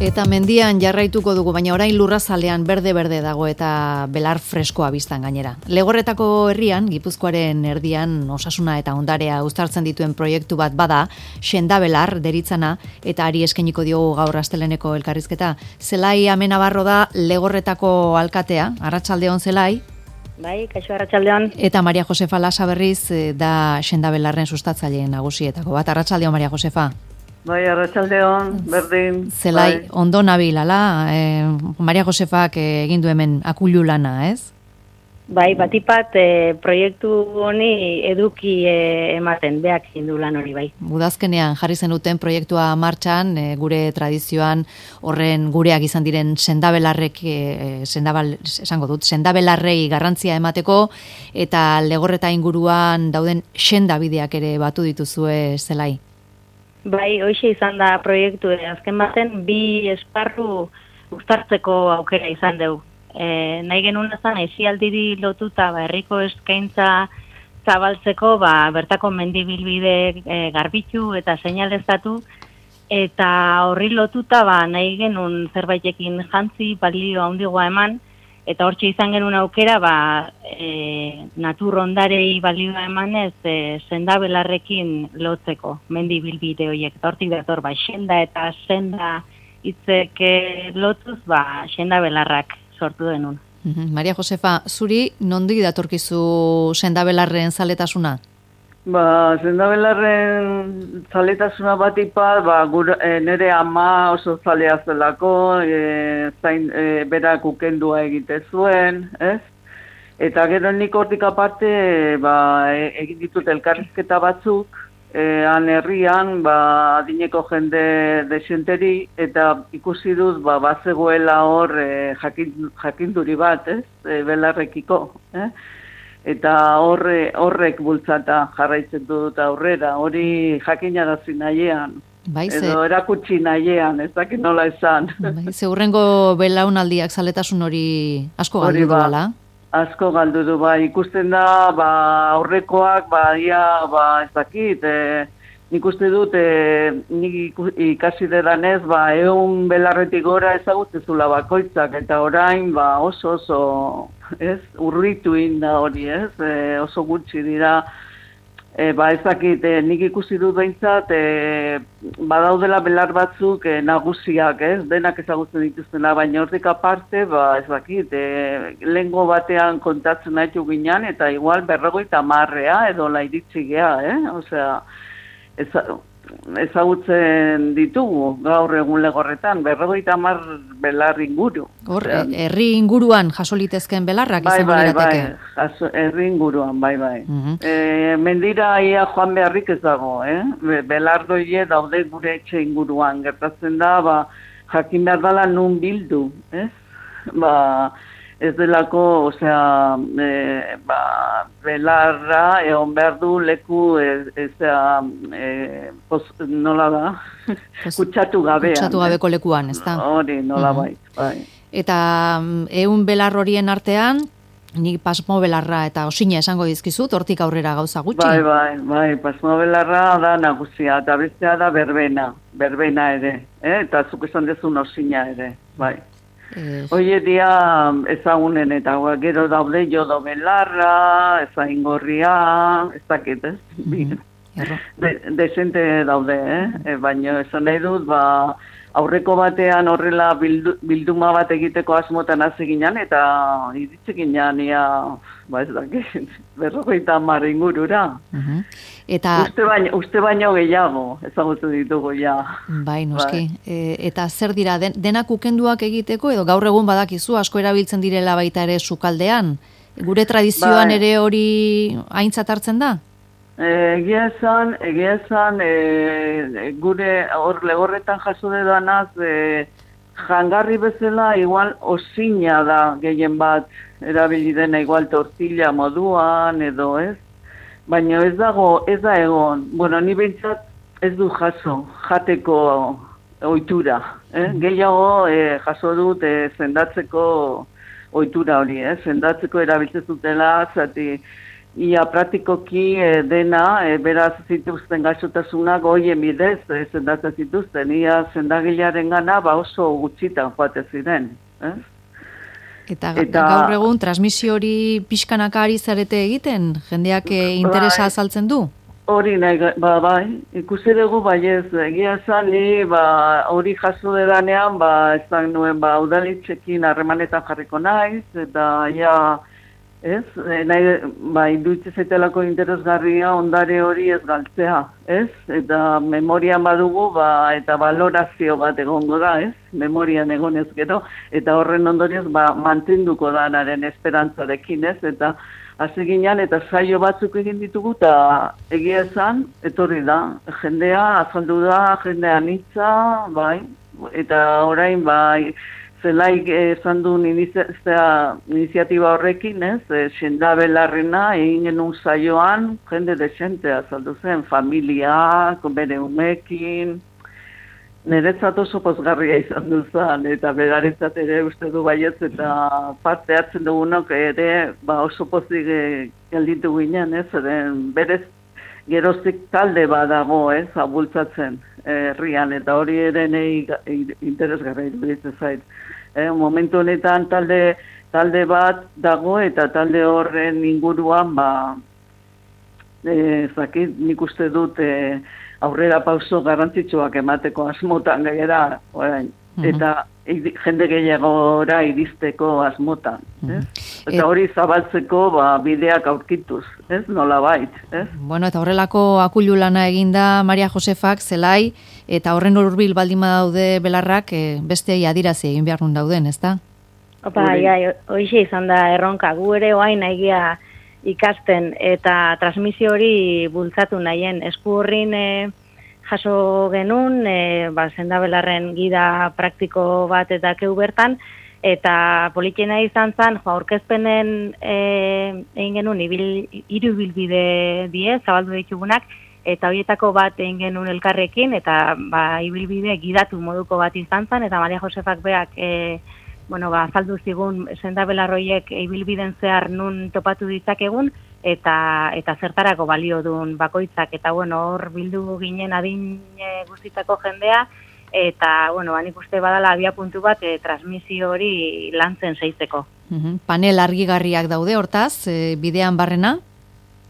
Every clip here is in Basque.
Eta mendian jarraituko dugu, baina orain lurrazalean berde-berde dago eta belar freskoa biztan gainera. Legorretako herrian, Gipuzkoaren erdian osasuna eta ondarea uztartzen dituen proiektu bat bada, Sendabelar deritzana, eta ari eskainiko diogu gaur Asteleneko elkarrizketa. Zelai Amenabarro da Legorretako alkatea, arratsaldeon Zelai. Bai, kaixo arratsaldeon. Eta Maria Josefa Lasa berriz da Sendabelarren sustatzaile nagusietako bat. Arratsaldeon Maria Josefa. Bai, arratsaldeon, berdin. Zelai, bai. Ondo nabil, ala? Maria Josefak egin du hemen akulu lana, ez? Bai, batipat proiektu honi eduki ematen, beak egin du lan hori, bai. Udazkenean jarri zenuten proiektua martxan, gure tradizioan horren gureak izan diren sendabelarrek, sendabelarrei garrantzia emateko, eta Legorreta inguruan dauden sendabideak ere batu dituzue, Zelai. Bai, hoxe izan da proiektu, azken baten bi esparru uztartzeko aukera izan dugu. Nahi genuen ezan, aisialdiri lotuta herriko eskaintza zabaltzeko, bertako mendibilbide garbitu eta seinaleztatu, eta horri lotuta nahi genuen zerbaitekin jantzi, balio handigoa eman, eta hortxe izan genuen aukera, natur ondarei balioa emanez, sendabelarrekin lotzeko, mendi bilbide horiek. Hortik dator, senda eta senda hitzek lotuz, sendabelarrak sortu denun. Maria Josefa, zuri nondik datorkizu sendabelarren zaletasuna? Sendabelarren zaletasuna batipat, nire ama oso zalea zelako, berak ukendua egite zuen, ez? Eta gero nik hortik aparte, egin ditut elkarrizketa batzuk, han herrian, adineko jende desenteri, eta ikusi dut, bazegoela hor jakinduri bat, ez? Belarrekiko, eta horrek bultzata jarraitzen dut aurrera, hori jakinarazi nahiean, edo erakutsi nahiean, ez dakit nola esan. Ze hurrengo belaunaldiak zaletasun hori asko galdu duela? Asko galdu du, ikusten da, aurrekoak, ez dakit, nik uste dut, nik ikasi dedanez, 100 belarretik gora ezagutzezula bakoitzak, eta orain, oso, ez, urritu inda hori, ez, oso gutxi dira, ez dakit, nik ikusi dut behintzat, badaudela belar batzuk nagusiak, ez, denak ezagutzen dituztena, baina hortik aparte, ez dakit, lehengo batean kontatzen nahitu ginen, eta igual 50 edo lairitzi gea, osea, ezagutzen ditugu gaur egun Legorretan, 50 belar inguru. Hor, herri inguruan jaso litezken belarrak izango lirateke? Herri inguruan, bai. Mendira ia joan beharrik ez dago, belardoie daude gure etxe inguruan, gertatzen da, jakin behar dela nun bildu, ez? Ez delako, osea, belarra egon behar du leku, nola da, kutsatu gabean. Kutsatu gabeko lekuan, ez da? Hori, nola bai. Eta 100 belar horien artean, nik pasmo belarra eta osina esango dizkizut, hortik aurrera gauza gutxi? Bai, pasmo belarra da nagusia, eta bestea da berbena ere, eta zuk esan dezun osina ere, bai. Hoie dia ezagunen eta gero daude jodo belarra, ezagingorria, ez dakit, ez? Desente daude, baina esan nahi dut, aurreko batean horrela bilduma bat egiteko asmotan hasi ginen, eta iritsi ginen, ez dakit, 50 ingurura. Uste baino gehiago, ezagutu ditugu ja. Bai, noski. Eta zer dira, denak ukenduak egiteko, edo gaur egun badakizu, asko erabiltzen direla baita ere sukaldean? Gure tradizioan ere hori aintzat hartzen da? Egia esan, gure hor Legorretan jaso dedanaz, jangarri bezala igual osina da gehien bat erabili dena igual tortilla moduan edo ez, baina ez da egon, ni behintzat ez du jaso, jateko ohitura, gehiago jaso dut sendatzeko ohitura hori, sendatzeko erabiltzen zutela, zati ia praktikoki dena, beraz zituzten gaixotasunak goien bidez sendatzen zituzten, ia sendagilearen gana oso gutxitan joate ziren. Eta gaur egun transmisio hori pixkanaka ari zarete egiten? Jendeak interesa azaltzen du? Hori nahi, bai, ikusi dugu ez, egia esan, ni hori jaso dedanean, ez nuen, udalitzekin harremanetan jarriko naiz, eta ez, nahi, iruditzen zaitelako interesgarria ondare hori ez galtzea, ez, eta memorian badugu, eta valorazio bat egongo da, ez, memorian egonez gero, eta horren ondorioz, mantenduko danaren esperantzarekin, ez, eta hasi ginean eta saio batzuk egin ditugu eta egia esan, etorri da, jendea, azaldu da, jendea anitza, bai, eta orain, zelaik esan duen iniziatiba horrekin, ez, sendabelarrena egin genuen saioan, jende desentea azaldu zen, familia, bere umekin, niretzat oso pozgarria izan duzan, eta beraretzat ere uste du baietz, eta parte hartzen dugunok ere oso pozik gelditu ginen, ez, berez geroztik talde badago, ez, abultzatzen herrian, eta hori ere nahi interesgarra iruditzen zait. Momentu honetan talde bat dago, eta talde horren inguruan, zakit, nik uste dut, aurrera pauso garrantzitsuak emateko asmotan gainera, eta jende gehiagora iristeko asmotan. Eta hori zabaltzeko bideak aurkituz, ez, nolabait. Bueno, eta horrelako akulu lana eginda Maria Josefak, zelai, eta horren hurbil baldin badaude belarrak, besteei adirazi egin behar nun dauden, ezta? Hoxe izan da erronka, gu ere oain egia ikasten eta transmisio hori bultzatu nahien. Esku horrin jaso genuen, sendabelarren gida praktiko bat eta keu bertan, eta politxena izan zen, aurkezpenen egin genuen hiru ibilbide die, zabaldu ditugunak, eta horietako bat egin genuen elkarrekin, eta ibilbide gidatu moduko bat izan zen, eta Maria Josefak beak azaldu zigun sendabelarroiek ibilbiden zehar nun topatu ditzakegun, eta zertarako balio duen bakoitzak, eta hor bildu ginen adin guztitako jendea, eta nik uste badala abia puntu bat transmisio hori lantzen zeitzeko. Panel argigarriak daude hortaz, bidean barrena?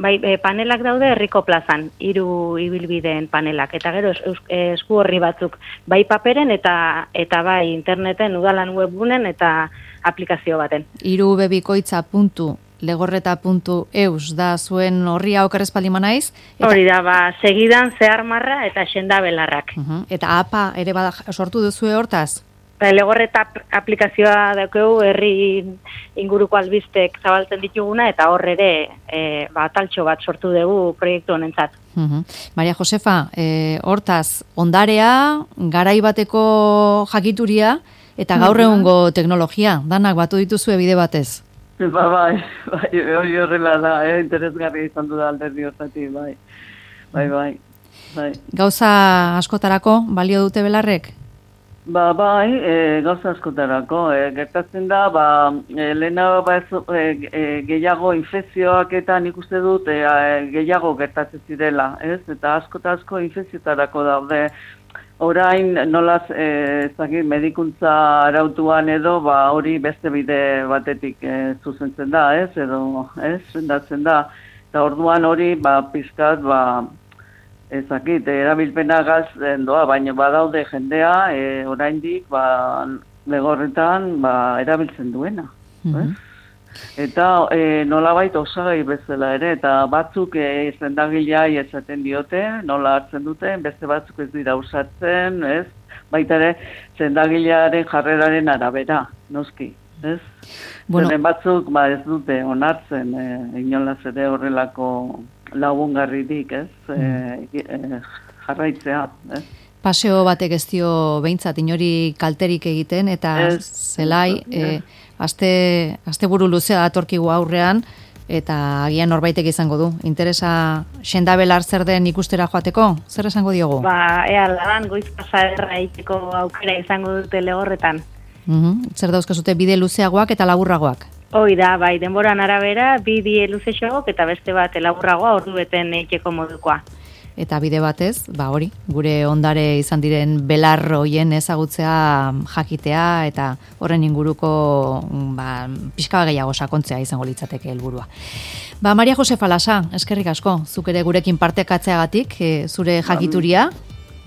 Bai, panelak daude herriko plazan, 3 ibilbideen panelak, eta gero esku horri batzuk, bai paperen eta bai interneten, udalan webgunen eta aplikazio baten. 3bikoitza.legorreta.eus da zuen horria okerrezpaldi manaiz? Hori da, segidan zehar marra eta sendabelarrak. Eta APA ere sortu duzue hortaz? Legorreta aplikazioa daukeu herri inguruko albistek zabaltzen dituguna, eta hor ere taltxo bat sortu dugu proiektu honentzat. Maria Josefa, hortaz, ondarea, garai bateko jakituria, eta gaur egungo teknologia, danak batu dituzue bide batez? Bai, hori horrela da, interesgarri izan du da alderdi hortatik, bai. Gauza askotarako balio dute belarrek? Gauza askotarako. Gertatzen da, lehena gehiago infekzioak eta nik uste dut gehiago gertatzen zirela, ez? Eta asko infekziotarako daude. Orain, nolaz, medikuntza arautuan edo, hori beste bide batetik zuzentzen da, ez? Edo, ez? Sendatzen da. Eta orduan hori, pizkat, ezakit, erabilpena galtzen doa, baina badaude jendea, oraindik, legorretan, erabiltzen duena. Eta nolabait osagai bezala ere, eta batzuk sendagileai esaten diote, nola hartzen duten, beste batzuk ez dira usatzen, ez? Baita ere, sendagilearen jarreraren arabera, noski, ez? Zeren batzuk, ez dute onartzen, inolaz ere horrelako lagungarririk, ez, jarraitzea, ez. Paseo batek ez dio behintzat inori kalterik egiten, eta zelai, asteburu luzea datorkigu aurrean, eta agian norbaitek izango du. Interesa sendabelar zer den ikustera joateko? Zer esango diogu? Ladan goiz pasaderra egiteko aukera izango dute Legorretan. Zer dauzkazute bide luzeagoak eta laburragoak? Hoi da, bai, denboran arabera, bi luzexoak eta beste bat laburragoa ordu beten eiteko modukoa. Eta bide batez, hori, gure ondare izan diren belar hoien ezagutzea jakitea eta horren inguruko pixka gehiago sakontzea izango litzateke helburua. Maria Jose Falasa, eskerrik asko, zuk ere gurekin partekatzeagatik, zure jakituria.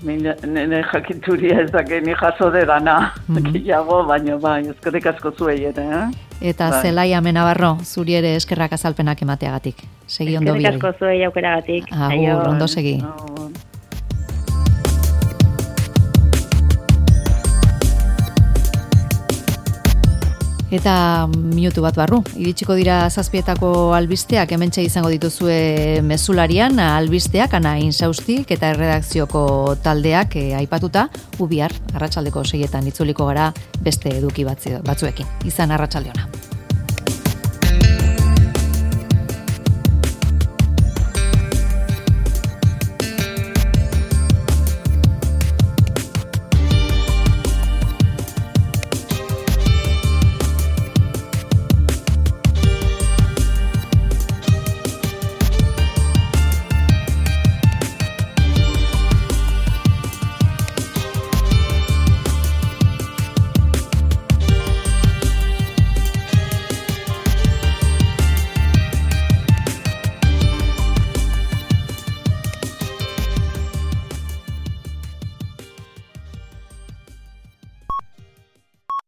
Nire jakituria ez dake ni jaso dedana, gehiago, baina eskerrik asko zuei ere. Eta Zelaia Menabarro, zuri ere eskerrak azalpenak emateagatik. Segi ondo bide. Eskerrik asko zuei aukeragatik. Agur, ondo segi. Eta minutu bat barru, iritsiko dira 7etako albisteak, hementxe izango dituzue mezularian, albisteak, Ana Insaustik eta erredakzioko taldeak aipatuta, bihar arratsaldeko 6etan itzuliko gara beste eduki batzuekin. Izan arratsalde ona.